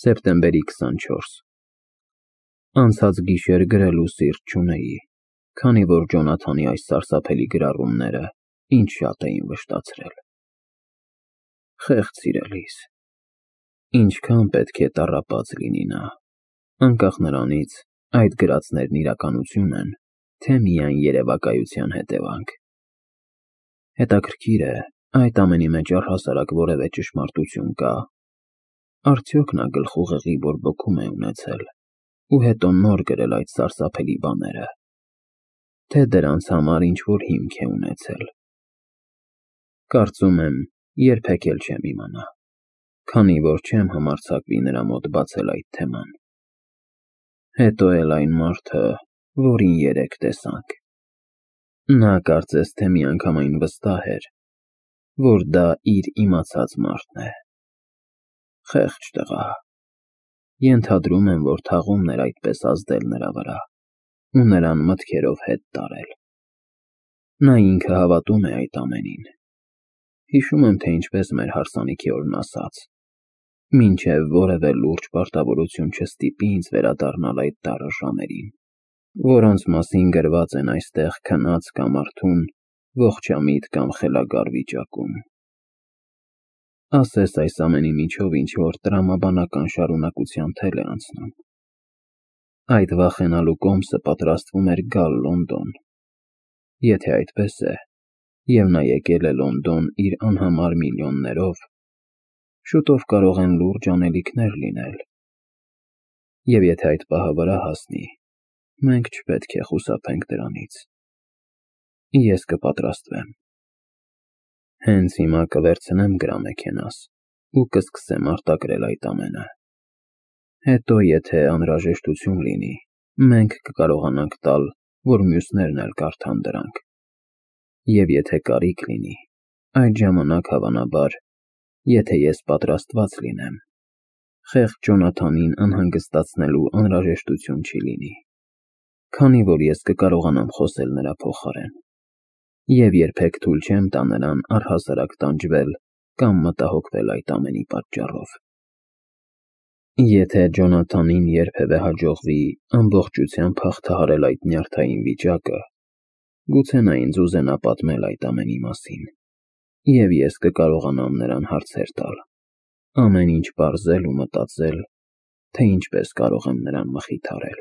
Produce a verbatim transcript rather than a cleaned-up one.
Սեպտեմբերի քսանչորս Անցած գիշեր գրելու սիրտ չունեի, քանի որ Ջոնաթանի այս սարսափելի գրառումները ինձ շատ էին վշտացրել։ Խեղճ սիրելիս, ինչքան պետք է տառապած լինի նա, անկախ նրանից այդ գրածներն իրականություն են, թե միայն երևակայության հետևանք։ Հետաքրքիր է, այդ ամենի մեջ առհասարակ որևէ ճշմարտություն կա՞։ Արդյոք նա գլխուղեղի բորբոքում է ունեցել ու հետո նոր գրել այդ սարսափելի բաները, թե դրանց համար ինչ-որ հիմք է ունեցել։ Կարծում եմ, երբեք էլ չեմ իմանա, քանի որ չեմ համարձակվի նրա մոտ բացել այդ թեման։ Հետո էլ այն մարդը, որին երեկ տեսանք։ Նա կարծես թե միանգամայն վստահ էր, որ դա իր իմացած մարդն է։ Խեղճ տղա։ Ենթադրում եմ, որ թաղումն էր այդպես ազդել նրա վրա ու նրան մտքերով հետ տարել։ Նա ինքը հավատում է այդ ամենին։ Հիշում եմ, թե ինչպես մեր հարսանիքի օրն ասաց. «Մինչև որևէ լուրջ պարտավորություն չստիպի ինձ վերադառնալ այդ դառը ժամերին, որոնց մասին գրված են այստեղ քնած կամ արթուն, ողջամիտ կամ խելագար վիճակում»։ Ասես այս ամենի միջով ինչ-որ տրամաբանական շարունակության թել է անցնում։ Այդ վախենալու կոմսը պատրաստվում էր գալ Լոնդոն։ Եթե այդպես է, և նա եկել է Լոնդոն իր անհամար միլիոններով, շուտով կարող են լուրջ անելիքներ լինել։ Եվ եթե այդ պահը վրա հասնի, մենք չպետք է խուսափենք դրանից։ Ես կպատրաստվեմ։ Հենց հիմա կվերցնեմ գրամեքենաս ու կսկսեմ արտագրել այդ ամենը։ Հետո, եթե անհրաժեշտություն լինի, մենք կկարողանանք տալ, որ մյուսներն էլ կարդան դրանք։ Եվ եթե կարիք լինի, այդ ժամանակ, հավանաբար, եթե ես պատրաստված լինեմ, խեղճ Ջոնաթանին անհանգստացնելու անհրաժեշտություն չի լինի, քանի որ ես կկարողանամ խոսել նրա փոխարեն։ Եվ երբեք թույլ չեմ տա նրան առհասարակ տանջվել կամ մտահոգվել այդ ամենի պատճառով։ Եթե Ջոնաթանին երբևէ հաջողվի ամբողջությամբ հաղթահարել այդ նյարդային վիճակը, գուցե նա ինձ ուզենա պատմել այդ ամենի մասին, և ես կկարողանամ նրան հարցեր տալ, ամեն ինչ պարզել ու մտածել, թե ինչպես կարող եմ նրան մխիթարել։